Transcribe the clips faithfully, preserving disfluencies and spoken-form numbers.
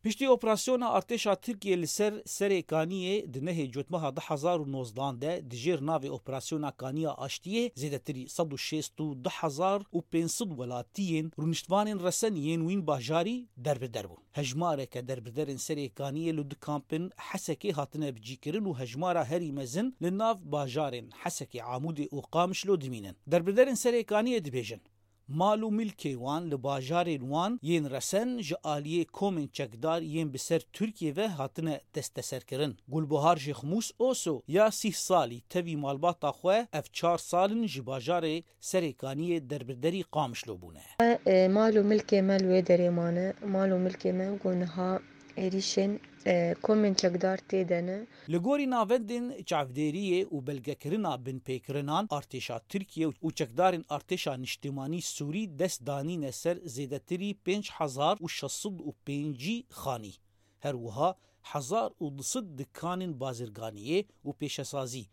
Piştî operasyona artêşa Tirkiyê li ser Serê Kaniyê di nehê Cotmeha du hezar û nozdan de di jêr navê Operasyona Kaniya Aştiyê zêdetirî sed û şêst û du hezar û pênc sed welatiyên rûniştvanên resen yên wîn bajarî derbider bûn. Hejmareke derbiderên Serê Kaniyê li du kampên Hesekê hatine bicîkirin û hejmara herî mezin li nav bajarên Hesekê, Amûdê û Qamişlo dimînin. Derbiderên Serê Kaniyê dibêjin, mal û milkê wan li bajarên wan yên resen ji aliyê komên çekdar yên bi ser Tirkiyê ve hatine desteserkirin. Gulbuhar Jêxmûs Oso ya sîh salî tevî malbata xwe ev çar sal in ji bajarê Serê Kaniyê derbiderî Qamişlo bûne. E, mal û milkê me li wê derê mane. Mal û milkê me ku niha êrîşên, e, komên çekdar tê de ne. Li gorî navendên çavdêriyê û belgekirina binpêkirinan, artêşa Tirkiye û çekdarên artêşa niştimanî Sûrî dest danîne ser zêdetirî pênc hezar û şeş sed û pêncî xanî. Her wiha hezar û du sed dikanên bazirganiyê û pêşesazî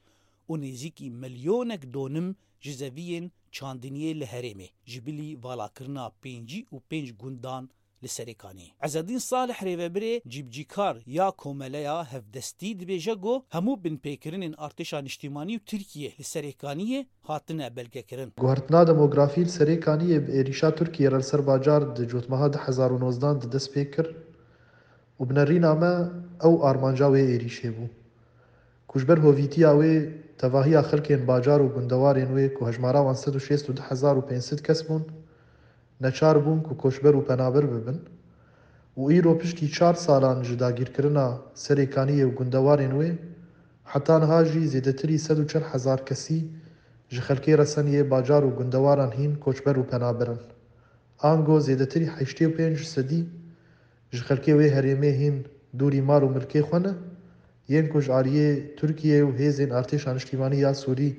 û nêzîkî milyonek donim ji zeviyên çandiniyê li herêmê, ji bilî valakirina pêncî û pênc gundan li Serê Kaniyê. Ezedîn Salih, rêvebirê cîbicîkar ya Komeleya Hevdestî, dibêje ku hemû binpêkirinên artêşa niştimanî û Tirkiyê li Serê Kaniyê hatine belgekirin. Guhertina demografî li Serê Kaniyê bi êrîşa Tirkiyê re li ser bajar di cotmeha du hezar û nozdan de dest pê kir û bi nerîna me ew armanca wê êrîşê bû. Ku ji ber hovîtiya wê, tevahiya xelkên bajar û gundewarên wê ku hejmara wan sed û şêst û du hezar û pênc sed kes bûn, neçar bûn ku koçber û penaber bibin û îro piştî çar salan ji dagîrkirina Serê Kaniyê û gundewarên wê, heta niha jî zêdetirî sed û çil hezar kesî ji xelkê resen yê bajar û gundewaran hîn koçber û penaber in. Ango zêdetirî heştê û pênc sedî ji xelkê wê herêmê hîn dûrî mal û milkê xwe ne, yên ku ji aliyê Tirkiyê û hêzên artêşa niştîmanî ya Sûrî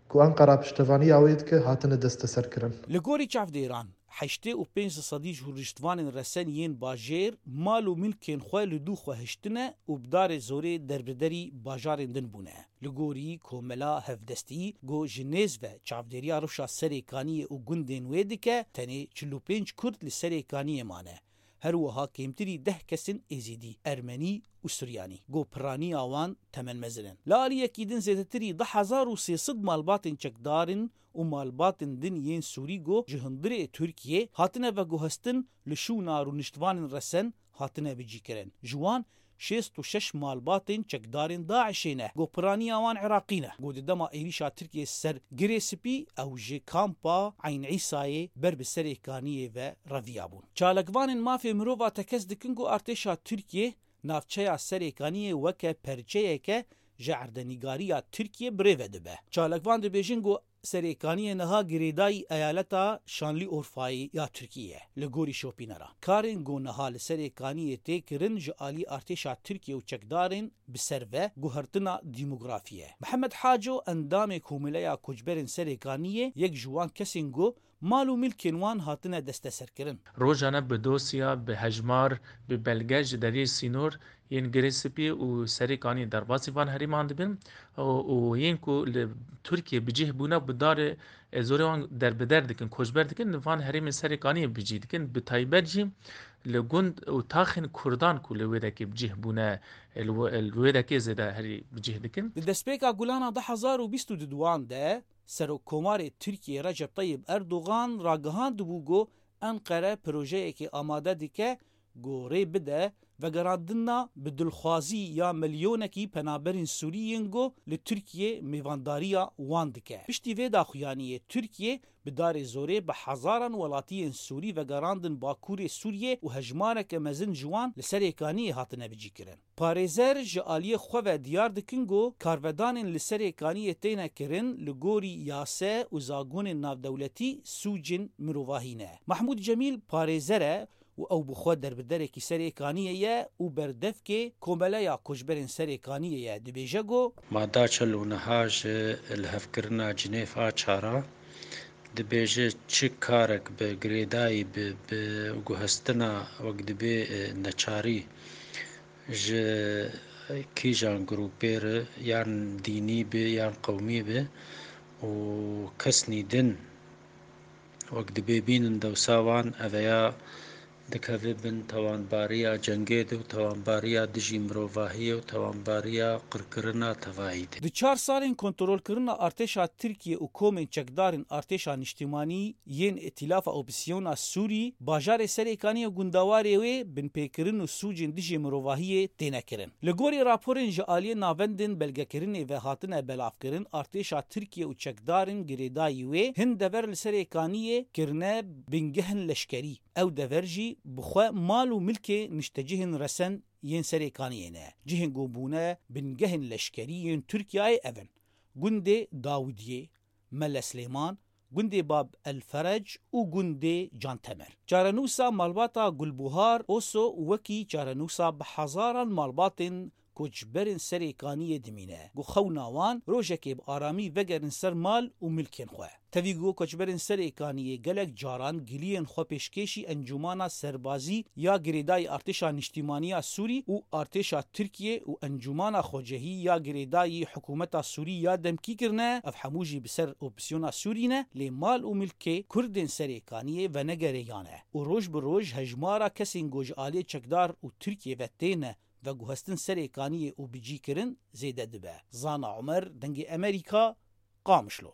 ku Enqera piştevaniya wê dike, hatine desteserkirin. Li gorî çavdêran, heştê û pênc sedî ji rûniştvanên resen yên bajêr mal û milkên xwe li dû xwe hiştine û bi darê zorê derbiderî bajarên din bûne. Li gorî Komela Hevdestî, ku ji nêz ve çavdêriya rewşa Serê Kaniyê û gundên wê dike, tenê çil û pênc Kurd li Serê Kaniyê mane. Her wiha kêmtirî deh kes in Êzîdî, Ermenî û Suryanî, ku piraniya wan temenmezin in. Li aliyekî din zêdetirî du hezar û sê sed malbatên çekdar in û malbatên din yên Sûrî ku ji hundirê Tirkiyê hatine veguhestin li şûna rûniştvanên resen hatine bicîkirin. Ji wan şêst û şeş malbatên çekdarên DAIŞê ne, ku piraniya wan Iraqî ne, ku di dema êrîşa Tirkiyê ser Girê Spî ew ji kampa Eyn Îsayê ber bi Serê Kaniyê ve reviyabûn. Çalakvanên mafê mirova tekez dikin ku artêşa Tirkiyê navçeya Serê Kaniyê weke perçeyeke ji erdenîgariya Tirkiyê bi rê ve dibe. Çalakvan dibêjin ku Serê Kaniyê niha girêdayî eyaleta Şanlîorfayê ya Tirkiyê ye. Li gorî şopînera, karên ku niha li Serê Kaniyê tê kirin ji alî artêşa Tirkiyê û çekdarên bi ser ve guhertina demografî ye. Mihemed Haco, endamê Komeleya Koçberên Serê Kaniyê, yek ji wan kesên ku mal û milkên wan hatine desteserkirin. Rojane bi dosya, bi hejmar, bi belge ji deriyê sînor yên Girê Spî û Serê Kaniyê derbasî van herêman dibin û, û yên ku li Tirkiyê bi cih bûne, bi darê, e, zorê wan derbider dikin, koçber dikin, li van herêmên Serê Kaniyê bi cih dikin. Bi taybet jî li gund û taxên Kurdan ku li wê dekê bi cih bûne, e, li wê, li wê dekê zêde herî bi cih dikin. Di destpêka Gulana du hezar û bîst û duan de, Serokkomarê Tirkiyê Recep Tayyip Erdogan ragihandibû ku Enqere projeyekê amade dike ku rê bide vegerandina bi dilxwazî ya milyonekî penaberên Sûrî yên ku li Tirkiyê mêvandariya wan dike. Piştî vê daxuyaniyê, Tirkiye bi darê zorê bi hezaran welatiyên Sûrî vegerandin Bakurê Sûriyê û hejmareke mezin ji wan li Serê Kaniyê hatine bicîkirin. Parêzer ji aliyê xwe ve diyar dikin ku karvedanên li Serê Kaniyê têne kirin li gorî yase û zagonên navdewletî sûcên mirovahî ne. Mahmûd Cemîl parêzer e û ew bi xwe derbiderekî Serê Kaniyê ye û berdevkê Komeleya Koçberên Serê Kaniyê ye. Dibêje ku, Ma da çil û niha ji lihevkirina Cinêv a çar a dibêje, çi karek bi girêdayî bi, bi guhestina wek dibê, e, neçarî ji kîjan grûpê re, yan dînî be, yan qewmî be û kesnî din wek dibê bînin dewsa wan, eveya dikeve bin tawanbariya cengê de û tawanbariya dijî mirovahiyê û tawanbariya qirkirina tevahî de. Di çar salên kontrolkirina artêşa Tirkiyê û komên çekdarên artêşa niştimanî yên Îtîlafa Opozîsyona Sûrî, bajarê Serêkaniyê û gundewarê wê binpêkirin û sûcên dijî mirovahiyê têne kirin. Li gorî raporên ji aliyê navendên belgekirinê ve hatine belavkirin, artêşa Tirkiyê û çekdarên girêdayî wê hin dever li Serêkaniyê kirine bingehên leşkerî. Ew dever jî bi xwe mal û milkê niştecihên resen yên Serêkaniyê ne. Cihên ku bûne bingehên leşkerî yên Tirkiyeyê ev in: gundê Dawidiyê, Mele Silêman, gundê Bab El Ferec û gundê Cantemer. Çarenûsa malbata Gulbuhar Oso wekî çarenûsa bi hezaran malbatên koçberên Serêkaniyê dimîne, ku xewna wan rojekê bi aramî vegerin ser mal û milkên xwe. Tevî ku koçberên Serêkaniyê gelek caran giliyên xwe pêşkêşî Encûmana Serbazî ya Girêdayî Artêşa Niştîmaniya Sûrî û Artêşa Tirkiyê û Encûmana Xwecehî ya Girêdayî Hikûmeta Sûrî ya demkî kirine, ev hemû jî bi ser opsiyona Sûrî ne, lê mal û milkê Kurdên Serêkaniyê venegereyan e û roj bi roj hejmara kesên ku ji aliyê çekdar û Tirkiyê ve têne veguhestin Serêkaniyê û bicîkirin zêde dibe. Zana Omer, Dengê Emerîka, Qamişlo.